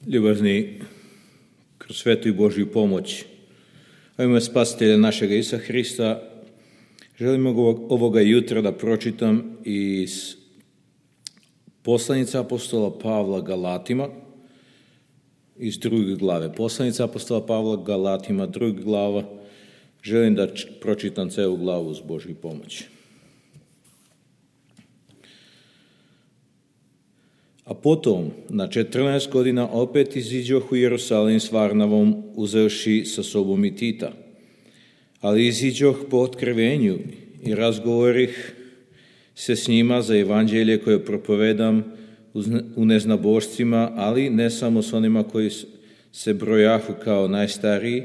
Ljubazni, kroz svetu i Božju pomoć, a ime Spasitelja našega Isusa Hrista, želim ovoga jutra da pročitam iz poslanice apostola Pavla Galatima, iz 2. glave. Poslanica apostola Pavla Galatima, 2. glava. Želim da pročitam celu glavu uz Božju pomoć. A potom, na 14 godina, opet iziđoh u Jerusalim s Varnavom, uzevši sa sobom i Tita. Ali iziđoh po otkrivenju i razgovorih se s njima za evanđelje koje propovedam u neznabošcima, ali ne samo s onima koji se brojahu kao najstariji,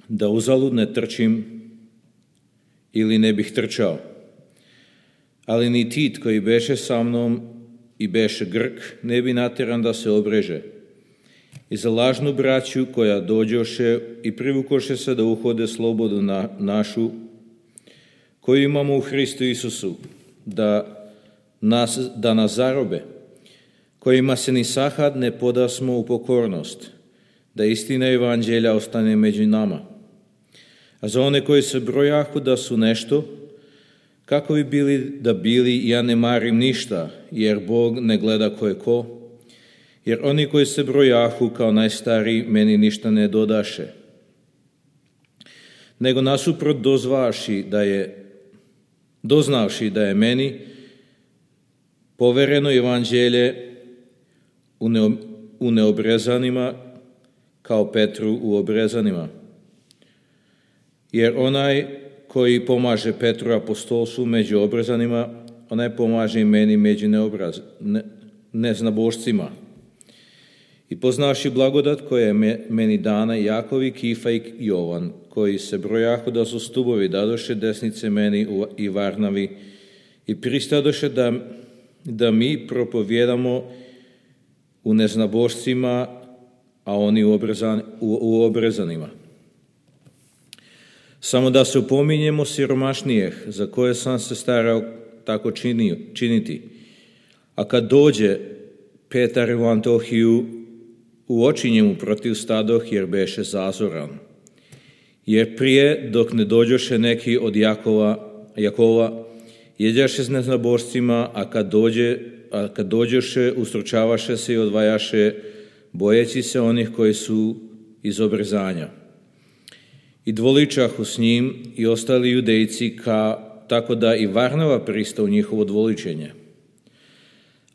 da uzalud ne trčim ili ne bih trčao. Ali ni Tit koji beše sa mnom i beše Grk ne bi nateran da se obreže. I za lažnu braću koja dođoše i privukoše se da uhode slobodu našu, koju imamo u Hristu Isusu, da nas zarobe, kojima se ni sahad ne podasmo u pokornost, da istina evanđelja ostane među nama. A za one koji se brojahu da su nešto, kako bi bili da bili, ja ne marim ništa, jer Bog ne gleda ko je ko, jer oni koji se brojahu kao najstariji meni ništa ne dodaše. Nego nasuprot doznavši da je meni povereno evanđelje u neobrezanima kao Petru u obrezanima. Jer onaj koji pomaže Petru apostolstvu među obrezanima, onaj pomaže i meni među neznabošcima. I poznavši blagodat koja je meni dana, Jakov i Kifa i Jovan, koji se brojahu da su stubovi, dadoše desnice meni i Varnavi i pristadoše da mi propovjedamo u neznabošcima, a oni u obrezanima. Samo da se upominjemo siromašnijeh, za koje sam se starao tako činiti. A kad dođe Petar u Antiohiju, u oči njemu protiv stadoh, jer beše zazoran. Jer prije, dok ne dođoše neki od Jakova, jeđaše s neznabošcima, a kad dođoše, ustručavaše se i odvajaše, bojeći se onih koji su iz obrezanja. I dvoličahu s njim i ostali judejci, tako da i Varnava pristao u njihovo dvoličenje.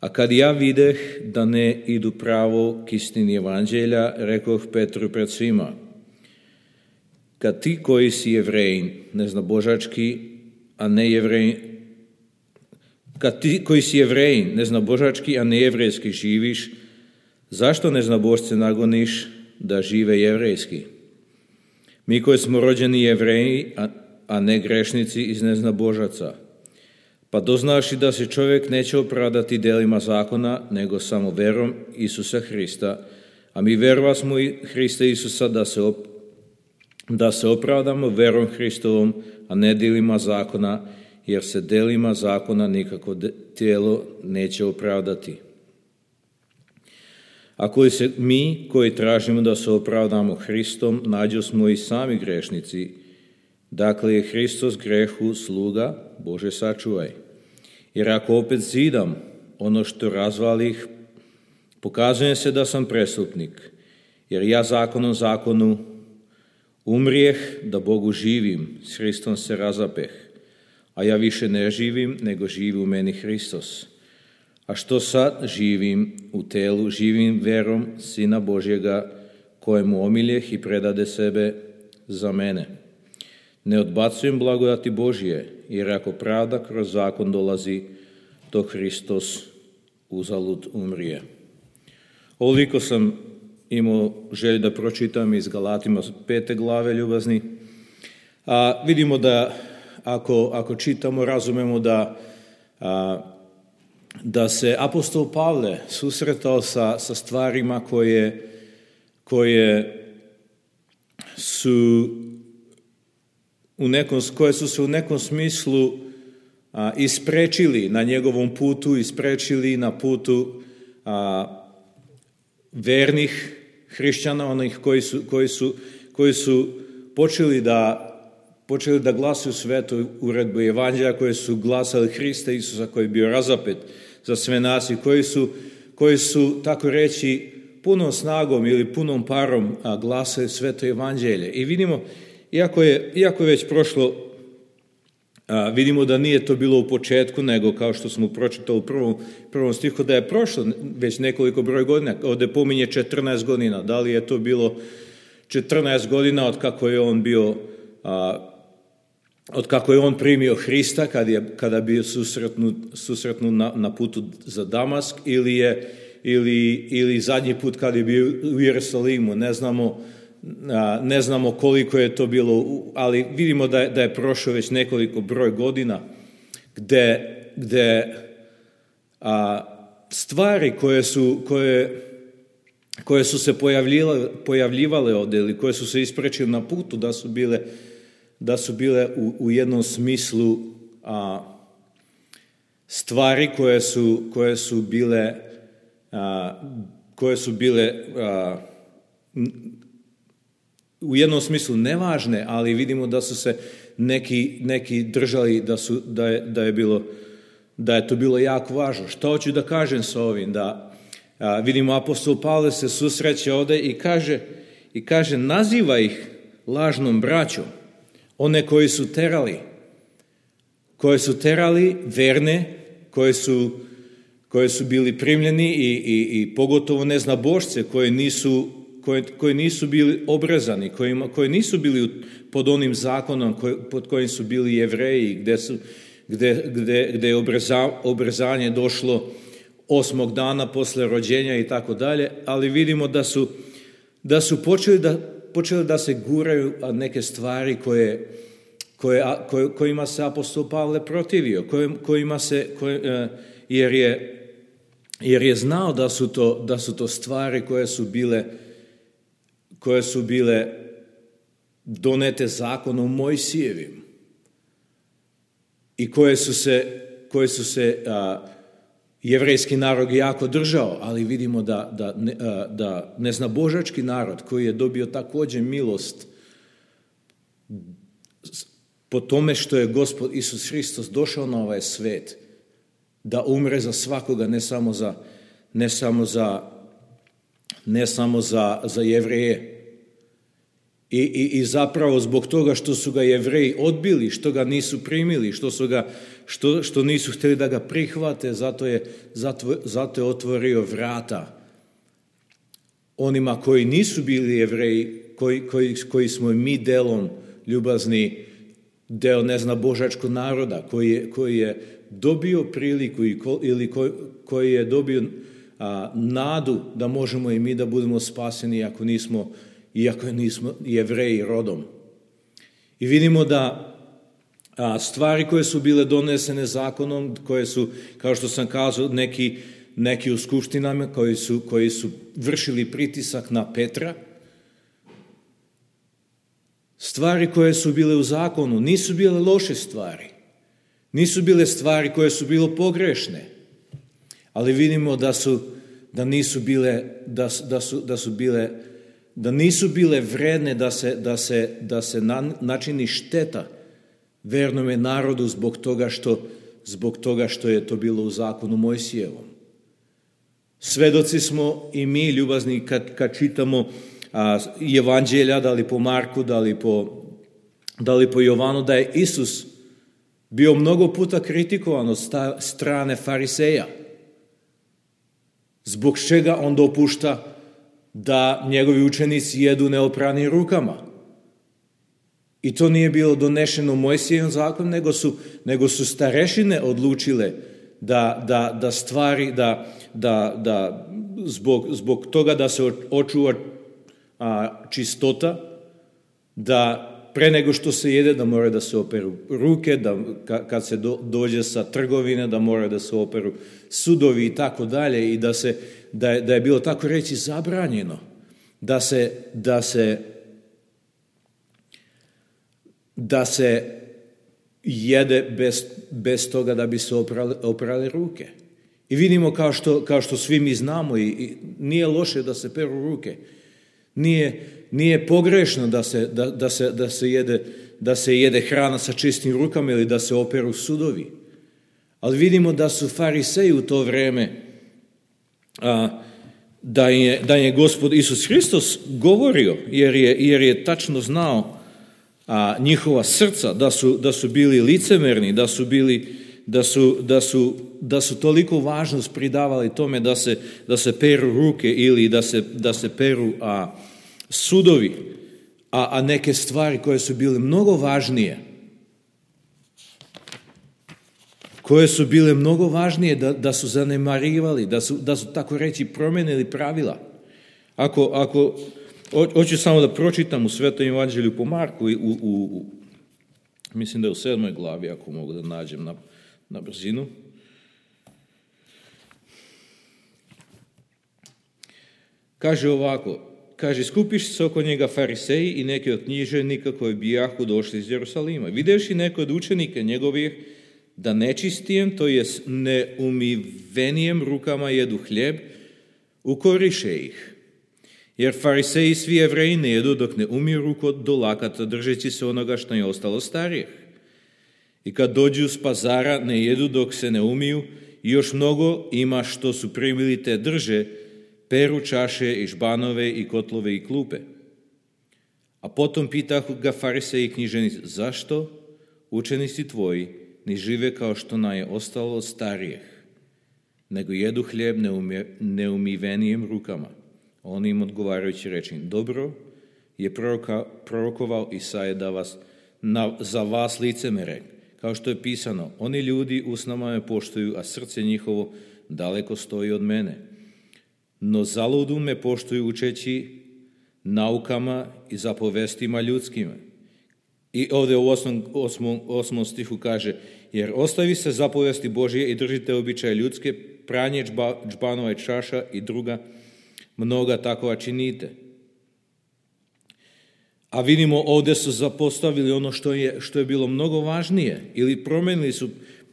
A kad ja videh da ne idu pravo k istini evanđelja, rekoh Petru pred svima: kad ti koji si Jevrejin, neznabožački, a ne Jevrejin, kad ti koji si Jevrejin, neznabožački, a ne jevrejski živiš, zašto neznabošce nagoniš da žive jevrejski? Mi koji smo rođeni Jevreji, a ne grešnici iz neznabožaca. Pa doznaši da se čovjek neće opravdati delima zakona, nego samo verom Isusa Hrista. A mi verova smo i Hrista Isusa da se opravdamo verom Hristovom, a ne delima zakona, jer se delima zakona nikako tijelo neće opravdati. Ako se mi koji tražimo da se opravdamo Hristom, nađo smo i sami grešnici. Dakle je Hristos grehu sluga, Bože sačuvaj. Jer ako opet zidam ono što razvalih, pokazujem se da sam prestupnik. Jer ja zakonu umrijeh da Bogu živim, s Hristom se razapeh. A ja više ne živim, nego živi u meni Hristos. A što sad živim u telu, živim verom Sina Božjega, kojemu omiljeh i predade sebe za mene. Ne odbacujem blagodati Božje, jer ako pravda kroz zakon dolazi, to Hristos uzalud umrije. Ovoliko sam imao želju da pročitam iz Galatima 5. glave, ljubazni. A vidimo da ako čitamo, razumemo da se apostol Pavle susretao sa stvarima koje su se u nekom smislu isprečili na njegovom putu, isprečili na putu vernih hrišćana, onih koji su počeli da glasuju svetu uredbu evanđelja, koji su glasali Hrista Isusa koji je bio razapet za sve nas i koji su tako reći punom snagom ili punom parom glasali sveto evanđelje. I vidimo, iako je već prošlo, vidimo da nije to bilo u početku, nego kao što smo pročitali u prvom stihu, da je prošlo već nekoliko broj godina. Ovdje pominje 14 godina. Da li je to bilo 14 godina od kako je on primio Hrista, kada bio susretnu na putu za Damask, ili zadnji put kada je bio u Jerusalimu. Ne znamo koliko je to bilo, ali vidimo da je prošlo već nekoliko broj godina gde stvari koje su se pojavljivale ovdje ili koje su se isprečile na putu, da su bile u jednom smislu stvari koje su bile u jednom smislu nevažne, ali vidimo da su se neki držali da je to bilo jako važno. Što hoću da kažem sa ovim? Da vidimo apostol Pavle se susreće ovdje i kaže naziva ih lažnom braćom, one koji su terali verne, koji su bili primljeni i pogotovo neznabošce koji nisu bili obrezani, koji nisu bili pod onim zakonom pod kojim su bili Jevreji, gde je obrezanje došlo 8. dana posle rođenja i tako dalje, ali vidimo da su počeli da se guraju neke stvari kojima se apostol Pavle protivio, jer je znao da su to stvari koje su bile donete zakonom Mojsijevim i koje su se jevrejski narod jako držao, ali vidimo da neznabožački narod koji je dobio također milost po tome što je Gospod Isus Hristos došao na ovaj svet da umre za svakoga, ne samo za Jevreje. I zapravo zbog toga što su ga Jevreji odbili, što ga nisu primili, što nisu htjeli da ga prihvate, zato je otvorio vrata onima koji nisu bili Jevreji, koji smo mi delom ljubazni, deo neznabožačkog naroda, koji je dobio priliku ili koji je dobio nadu da možemo i mi da budemo spaseni iako nismo Jevreji rodom. I vidimo da stvari koje su bile donesene zakonom, koje su, kao što sam kazao, neki u skupštinama koji su vršili pritisak na Petra, stvari koje su bile u zakonu nisu bile loše stvari, nisu bile stvari koje su bile pogrešne, ali vidimo da nisu bile vredne da se načini šteta vernome narodu zbog toga što je to bilo u zakonu Mojsijevom. Svedoci smo i mi, ljubazni, kad čitamo evanđelja, da li po Marku, da li po Jovanu, da je Isus bio mnogo puta kritikovan od strane fariseja. Zbog čega on dopušta da njegovi učenici jedu neopranim rukama. I to nije bilo donešeno u Mojsijevom zakonu, nego su starešine odlučile da stvari, da zbog toga da se očuva čistota, da pre nego što se jede da mora da se operu ruke, da kad se dođe sa trgovine da mora da se operu sudovi i tako dalje, i da je bilo tako reći zabranjeno da se jede bez toga da bi se oprali ruke. I vidimo kao što svi mi znamo i nije loše da se peru ruke. Nije pogrešno da se jede hrana sa čistim rukama ili da se operu sudovi. Ali vidimo da su fariseji u to vrijeme, da je Gospod Isus Hristos govorio, jer je tačno znao njihova srca, da su bili licemerni, da su toliko važnost pridavali tome da se peru ruke ili da se peru sudovi, a neke stvari koje su bile mnogo važnije, da su zanemarivali, da su tako reći promijenili pravila. Hoću samo da pročitam u Svetom evanđelju po Marku, mislim da je u 7. glavi, ako mogu da nađem na brzinu. Kaže ovako, skupiš se oko njega fariseji i neki od književnika koji bijahu došli iz Jerusalima. Videvši neko od učenika njegovih da nečistijem, to jest neumivenijem rukama jedu hljeb, ukoriše ih. Jer fariseji svi Jevreji ne jedu dok ne umiju ruku do lakata, držeći se onoga što je ostalo starijih. I kad dođu s pazara ne jedu dok se ne umiju, i još mnogo ima što su primili te drže, peru čaše i žbanove i kotlove i klupe. A potom pitahu ga fariseji i književnici, zašto učenici tvoji ne žive kao što nam je ostalo od starijih, nego jedu hljeb neumivenijem rukama? On im odgovarajući reče, dobro je prorokovao Isaja za vas licemere, kao što je pisano, oni ljudi usnama me poštuju, a srce njihovo daleko stoji od mene. No zaludu me poštuju učeći naukama i zapovestima ljudskima. I ovdje u 8. stihu kaže, jer ostavi se zapovesti Božje i držite običaje ljudske, pranje džbanova i čaša i druga mnoga takova činite. A vidimo ovdje su zapostavili ono što je bilo mnogo važnije ili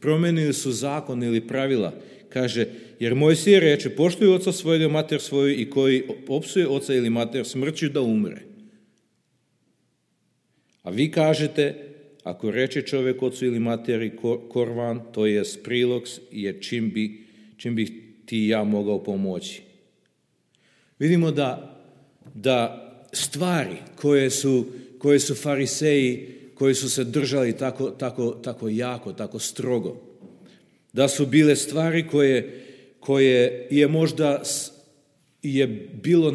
promenili su zakon ili pravila. Kaže, jer Mojsije reče, poštuj oca svojega, mater svoju i koji opsuje oca ili mater smrću da umre. A vi kažete, ako reče čovjek ocu ili materi korvan, to je prilog, je čim bi ti i ja mogao pomoći. Vidimo da stvari koje su fariseji, koji su se držali tako jako, tako strogo, da su bile stvari koje je možda je bilo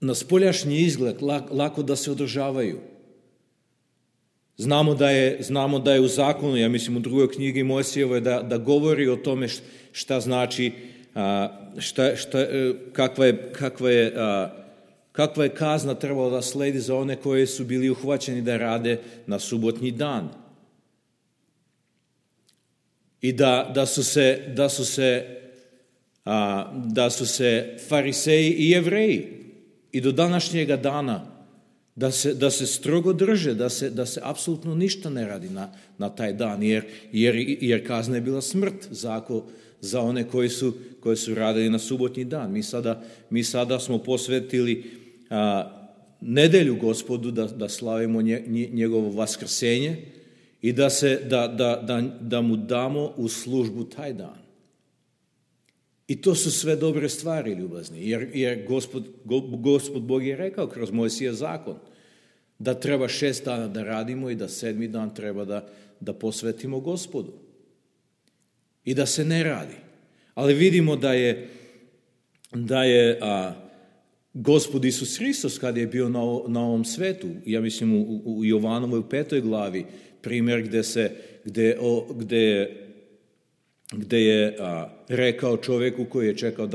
na spoljašnji izgled lako da se održavaju. Znamo da je u zakonu, ja mislim u drugoj knjigi Mojsijevoj, da govori o tome šta znači, kakva je kazna trebala da sledi za one koji su bili uhvaćeni da rade na subotnji dan. I da su se fariseji i Jevreji i do današnjega dana da se strogo drže, da se apsolutno ništa ne radi na taj dan, jer kazna je bila smrt za one koji su radili na subotnji dan. Mi sada smo posvetili nedelju Gospodu da slavimo njegovo vaskrsenje i da mu damo u službu taj dan. I to su sve dobre stvari, ljubazni, jer Gospod Bog je rekao kroz Mojsija zakon da treba 6 dana da radimo i da 7. dan treba da posvetimo Gospodu i da se ne radi. Ali vidimo da je Gospod Isus Hristos kad je bio na ovom svetu, ja mislim u Jovanovoj 5. glavi, primjer gdje je rekao čovjeku koji je čekao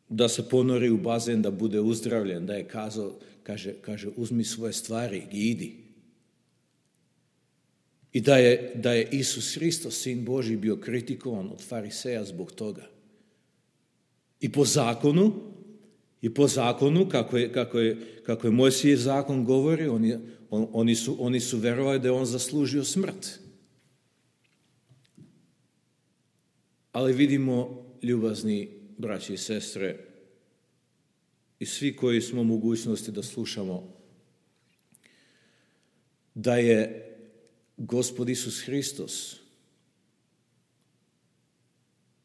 da se ponori u bazen, da bude uzdravljen, da je kazao, kaže uzmi svoje stvari i idi. I da je Isus Hristos, Sin Božji, bio kritikovan od fariseja zbog toga. I po zakonu I po zakonu, kako je Mojsijev zakon govori, oni su verovali da je on zaslužio smrt. Ali vidimo, ljubazni braći i sestre, i svi koji smo u mogućnosti da slušamo, da je Gospod Isus Hristos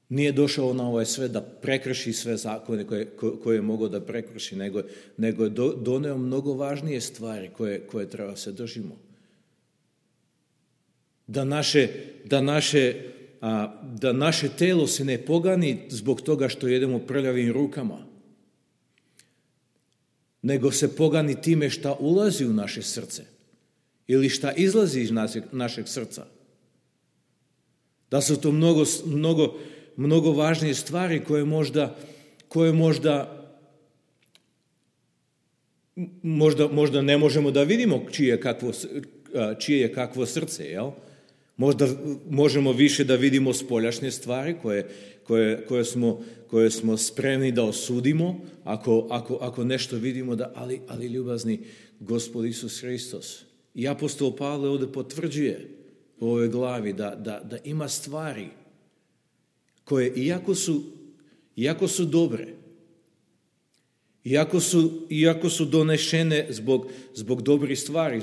nije došao na ovaj svet da prekrši sve zakone koje je mogao da prekrši, nego je doneo mnogo važnije stvari koje treba se držimo. Da naše telo se ne pogani zbog toga što jedemo prljavim rukama, nego se pogani time šta ulazi u naše srce ili šta izlazi iz našeg srca. Da su to mnogo važnije stvari koje možda ne možemo da vidimo čije je kakvo srce, jel? Možda možemo više da vidimo spoljašnje stvari koje smo spremni da osudimo ako nešto vidimo, ali ljubazni Gospod Isus Hristos. I apostol Pavle ovdje potvrđuje u ovoj glavi da ima stvari koje iako su dobre, iako su donešene zbog dobrih stvari,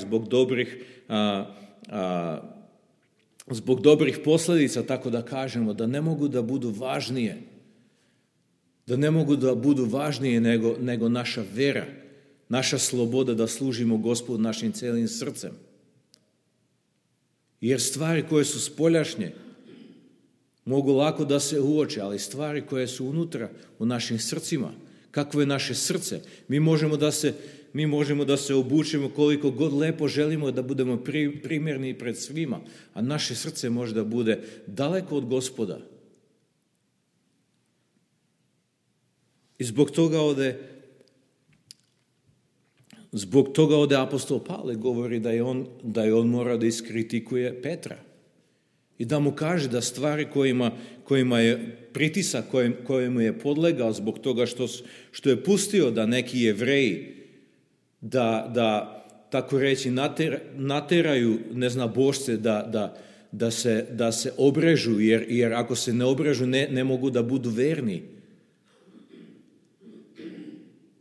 zbog dobrih posljedica, tako da kažemo, da ne mogu da budu važnije nego naša vera, naša sloboda da služimo Gospodu našim cijelim srcem. Jer stvari koje su spoljašnje mogu lako da se uoče, ali stvari koje su unutra u našim srcima, kakvo je naše srce, mi možemo da se obučemo koliko god lepo želimo da budemo primjerni pred svima, a naše srce može da bude daleko od Gospoda. I zbog toga ovdje apostol Pavle govori da je on mora da iskritikuje Petra i da mu kaže da stvari kojima je pritisak, kojemu je podlegao zbog toga što je pustio da neki Jevreji da tako reći nateraju neznabošce da se obrežu, jer ako se ne obrežu ne mogu da budu verni.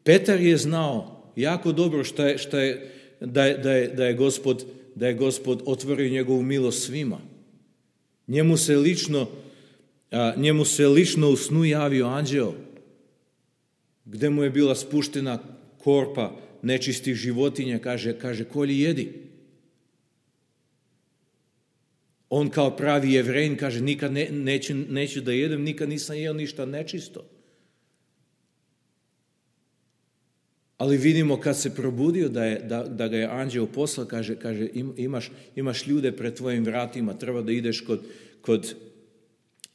Petar je znao jako dobro da je Gospod otvorio njegovu milost svima. Njemu se lično u snu javio anđeo, gdje mu je bila spuštena korpa nečistih životinja, kaže kolji jedi. On kao pravi Jevrejin kaže nikad neću da jedem, nikad nisam jeo ništa nečisto. Ali vidimo kad se probudio da ga je anđeo poslao, kaže imaš ljude pred tvojim vratima, treba da ideš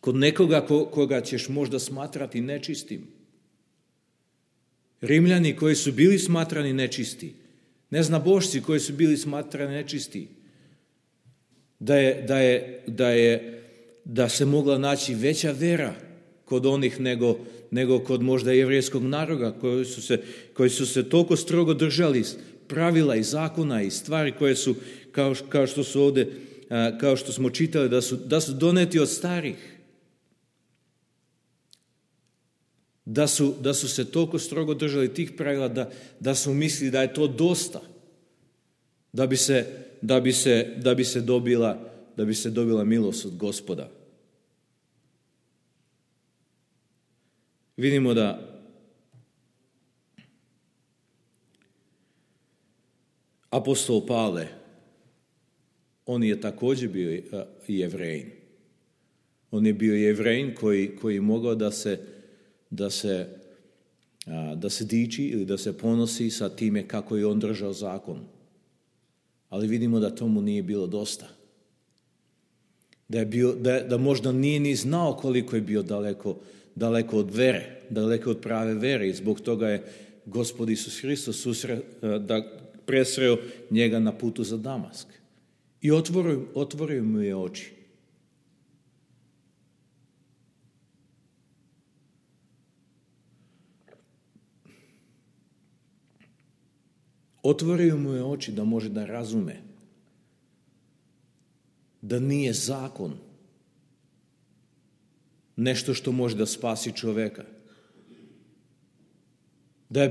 kod nekoga koga ćeš možda smatrati nečistim. Rimljani koji su bili smatrani nečisti, neznabošci koji su bili smatrani nečisti, da se mogla naći veća vera kod onih nego kod možda jevrejskog naroda koji su se toliko strogo držali pravila i zakona i stvari koje su, kao što su ovdje, kao što smo čitali, da su doneti od starih. Da su se toliko strogo držali tih pravila da su mislili da je to dosta da bi se dobila milost od Gospoda. Vidimo da apostol Pavle, on je također bio Jevrejin. On je bio Jevrejin koji mogao da se diči ili da se ponosi sa time kako je on držao zakon. Ali vidimo da tomu nije bilo dosta. Da možda nije ni znao koliko je bio daleko od vere, daleko od prave vere, i zbog toga je Gospod Isus Hristos presreo njega na putu za Damask. I otvorio mu je oči. Otvorio mu je oči da može da razume da nije zakon nešto što može da spasi čoveka. Da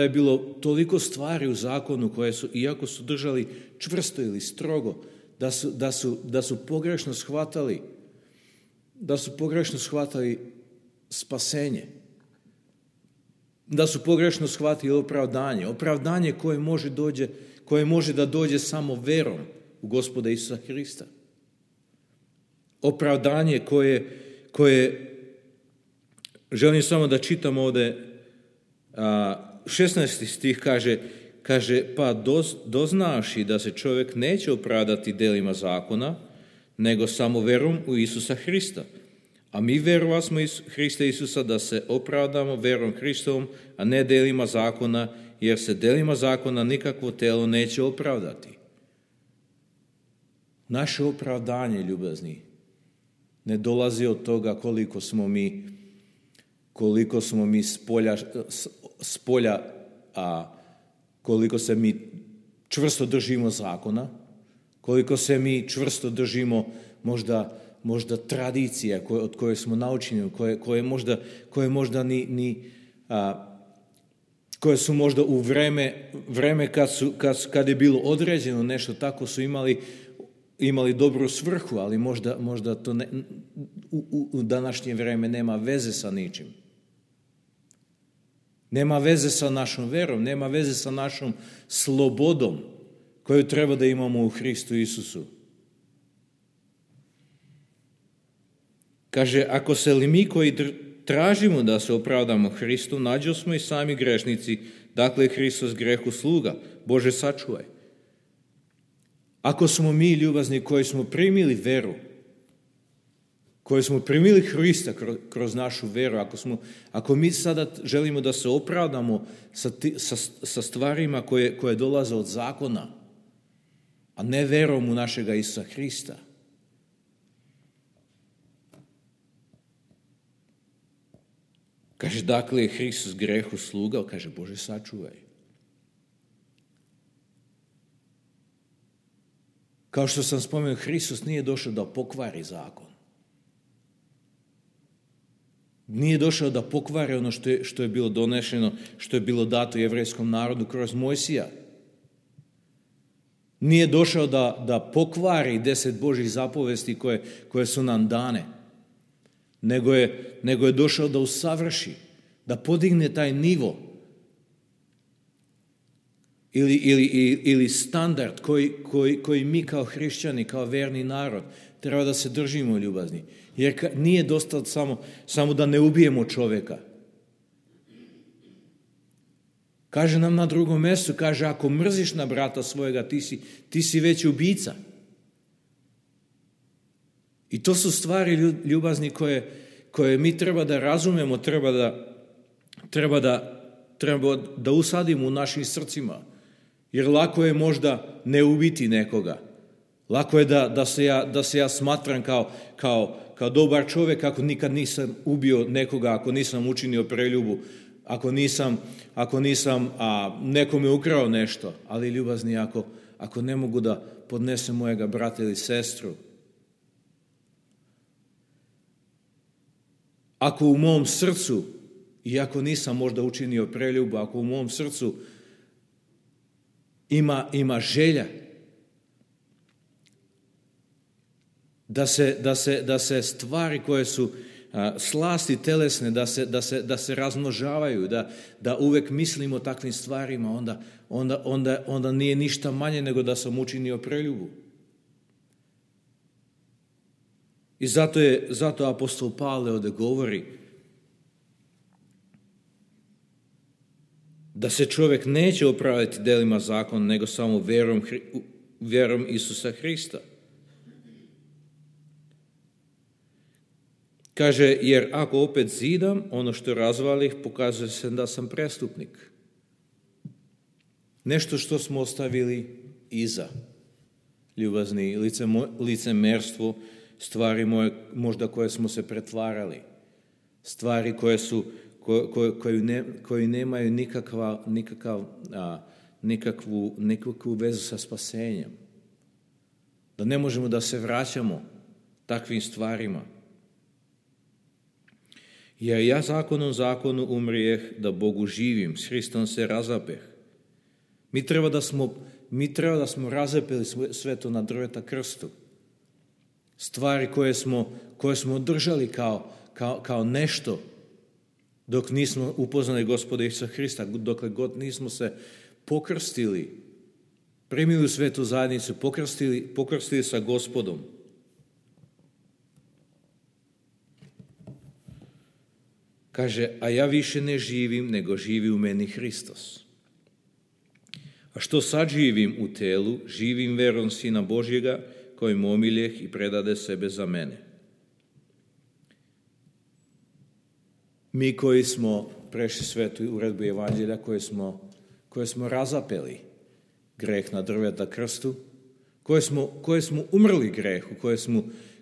je bilo toliko stvari u zakonu koje su, iako su držali čvrsto ili strogo, da su pogrešno shvatali spasenje. Da su pogrešno shvatili opravdanje koje može da dođe samo verom u Gospoda Isusa Hrista. Opravdanje koje želim samo da čitam ovde, 16. stih kaže pa doznavši da se čovjek neće opravdati delima zakona, nego samo verom u Isusa Hrista. A mi verovasmo Hrista Isusa da se opravdamo verom Hristovom, a ne delima zakona, jer se delima zakona nikakvo telo neće opravdati. Naše opravdanje, ljubazni, ne dolazi od toga koliko smo mi spolja, koliko se mi čvrsto držimo zakona, koliko se mi čvrsto držimo možda tradicija od koje smo naučeni, koje su možda u vreme kad je bilo određeno nešto tako su imali dobru svrhu, ali možda to u današnje vreme nema veze sa ničim. Nema veze sa našom verom, nema veze sa našom slobodom koju treba da imamo u Hristu Isusu. Kaže, ako se li mi koji tražimo da se opravdamo Hristu, nađo smo i sami grešnici, dakle Hristos grehu sluga, Bože sačuvaj. Ako smo mi, ljubazni, koji smo primili veru, koji smo primili Hrista kroz našu veru, ako mi sada želimo da se opravdamo sa stvarima koje dolaze od zakona, a ne verom u našega Isusa Hrista, kaže, dakle je Hristos grehu sluga, kaže, Bože sačuvaj. Kao što sam spomenuo, Hristos nije došao da pokvari zakon. Nije došao da pokvari ono što je bilo donešeno, što je bilo dato jevrejskom narodu kroz Mojsija. Nije došao da pokvari 10 Božjih zapovesti koje su nam dane, nego je došao da usavrši, da podigne taj nivo ili standard koji mi kao hrišćani, kao verni narod, treba da se držimo, ljubazni. Jer nije dosta samo da ne ubijemo čovjeka. Kaže nam na drugom mjestu, kaže, ako mrziš na brata svojega, ti si već ubica. I to su stvari, ljubazni, koje mi treba da razumemo, treba da usadimo u našim srcima. Jer lako je možda ne ubiti nekoga. Lako je da se ja smatram kao dobar čovjek ako nikad nisam ubio nekoga, ako nisam učinio preljubu, ako nisam nekome ukrao nešto. Ali, ljubazni, ako ne mogu da podnesem mojega brata ili sestru, ako u mom srcu, iako nisam možda učinio preljubu, ako u mom srcu ima želja da se stvari koje su slasti telesne, da se razmnožavaju, da uvek mislimo o takvim stvarima, onda nije ništa manje nego da sam učinio preljubu. I zato apostol Pavle ovdje govori da se čovjek neće opravdati delima zakona, nego samo verom Isusa Hrista. Kaže, jer ako opet zidam ono što razvalih, pokazuje se da sam prestupnik. Nešto što smo ostavili iza, ljubazni, licemerstvo, stvari možda koje smo se pretvarali, stvari koje nemaju nikakvu vezu sa spasenjem. Da ne možemo da se vraćamo takvim stvarima. Jer ja zakonu umrijeh, da Bogu živim, s Hristom se razapeh. Mi treba da smo razapeli sve to na drveta krstu. Stvari koje smo držali kao nešto dok nismo upoznali Gospoda Isusa Hrista, dokle god nismo se pokrstili, primili u svetu zajednicu, pokrstili sa Gospodom. Kaže, a ja više ne živim, nego živi u meni Hristos. A što sad živim u telu, živim verom Sina Božjega, koji me omiljeh i predade sebe za mene. Mi koji smo prešli svetu uredbu Evanđelja, koje smo razapeli greh na drveta krstu, koje smo umrli grehu,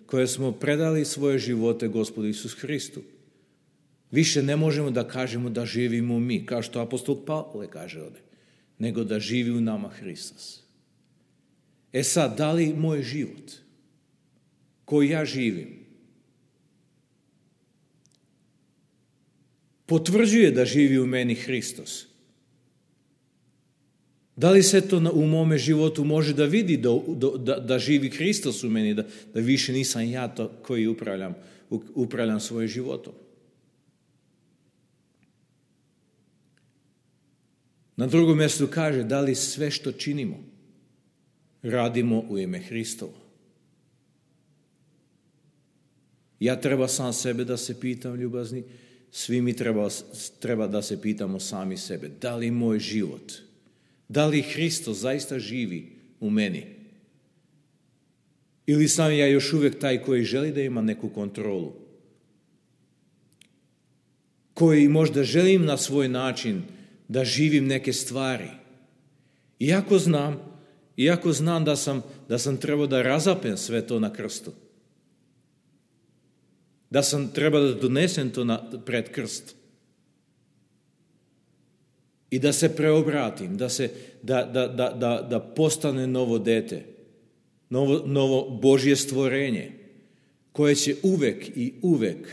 koje smo predali svoje živote Gospodu Isusu Hristu. Više ne možemo da kažemo da živimo mi, kao što apostol Pavle kaže ovdje, nego da živi u nama Hristos. E sad, da li moj život koji ja živim potvrđuje da živi u meni Hristos? Da li se to u mome životu može da vidi da živi Hristos u meni, da više nisam ja to koji upravljam svojim životom? Na drugom mjestu kaže, da li sve što činimo radimo u ime Hristovo? Ja treba sam sebe da se pitam, ljubazni, svi mi treba da se pitamo sami sebe. Da li moj život, da li Hristos zaista živi u meni? Ili sam ja još uvijek taj koji želi da ima neku kontrolu? Koji možda želim na svoj način da živim neke stvari. Iako znam da sam trebao da razapem sve to na krstu. Da sam trebao da donesem to pred krst. I da se preobratim, da postane novo dete, novo Božje stvorenje, koje će uvek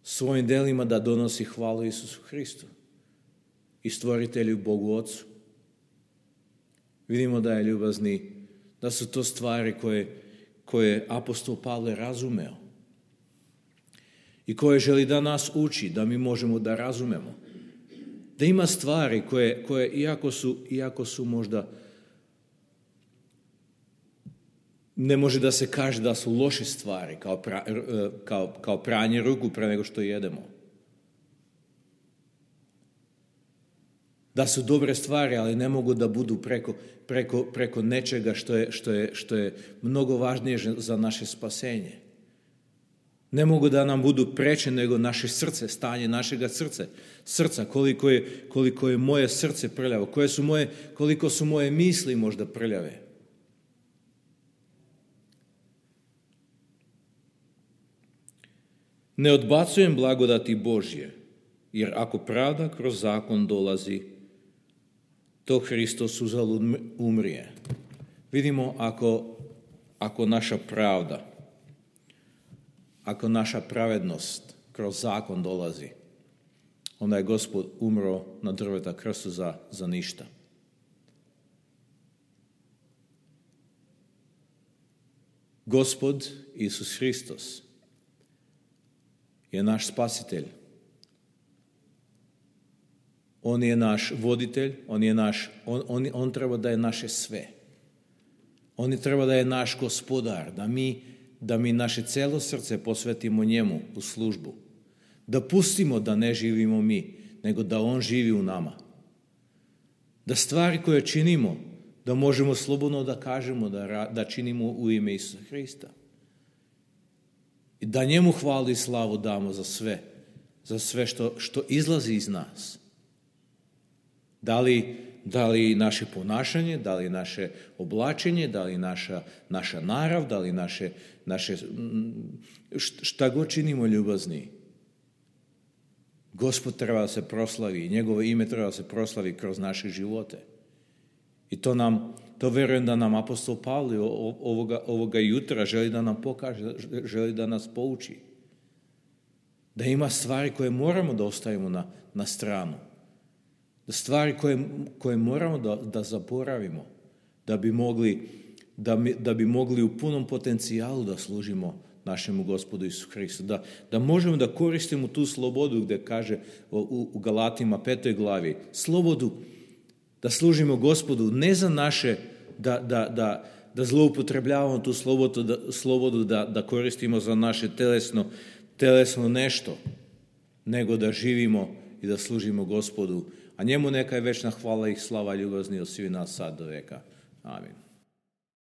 svojim delima da donosi hvalu Isusu Hristu i stvoritelju Bogu Otcu. Vidimo da je ljubazni, da su to stvari koje apostol Pavle razumeo i koje želi da nas uči, da mi možemo da razumemo. Da ima stvari koje iako su možda, ne može da se kaže da su loše stvari, kao pranje ruku pre nego što jedemo. Da su dobre stvari, ali ne mogu da budu preko nečega što je mnogo važnije za naše spasenje. Ne mogu da nam budu preče nego naše srce, stanje našega srca, koliko je moje srce prljavo, koliko su moje misli možda prljave. Ne odbacujem blagodati Božje, jer ako pravda kroz zakon dolazi, to Hristos uzalud umrije. Vidimo ako naša pravda, ako naša pravednost kroz zakon dolazi, onda je Gospod umro na drveta krstu za ništa. Gospod Isus Hristos je naš spasitelj. On je naš voditelj, on treba da je naše sve. On treba da je naš gospodar, da mi naše celo srce posvetimo njemu u službu. Da pustimo da ne živimo mi, nego da on živi u nama. Da stvari koje činimo, da možemo slobodno da kažemo da činimo u ime Isusa Hrista. I da njemu hvalu i slavu damo za sve što izlazi iz nas. Da li naše ponašanje, da li naše oblačenje, da li naša narav, da li naše šta god činimo ljubazni. Gospod treba da se proslavi, njegovo ime treba da se proslavi kroz naše živote. I to verujem da nam apostol Pavle ovoga jutra želi da nam pokaže, želi da nas pouči. Da ima stvari koje moramo da ostavimo na stranu. Da stvari koje moramo da zaboravimo, da bi mogli u punom potencijalu da služimo našemu Gospodu Isu Hristu. Da možemo da koristimo tu slobodu gde kaže u Galatima 5. glavi, slobodu da služimo Gospodu, ne za naše, da zloupotrebljavamo tu slobodu da koristimo za naše telesno nešto, nego da živimo i da služimo Gospodu. A njemu neka je večna hvala i slava ljubazni od svih nas sad do veka. Amin.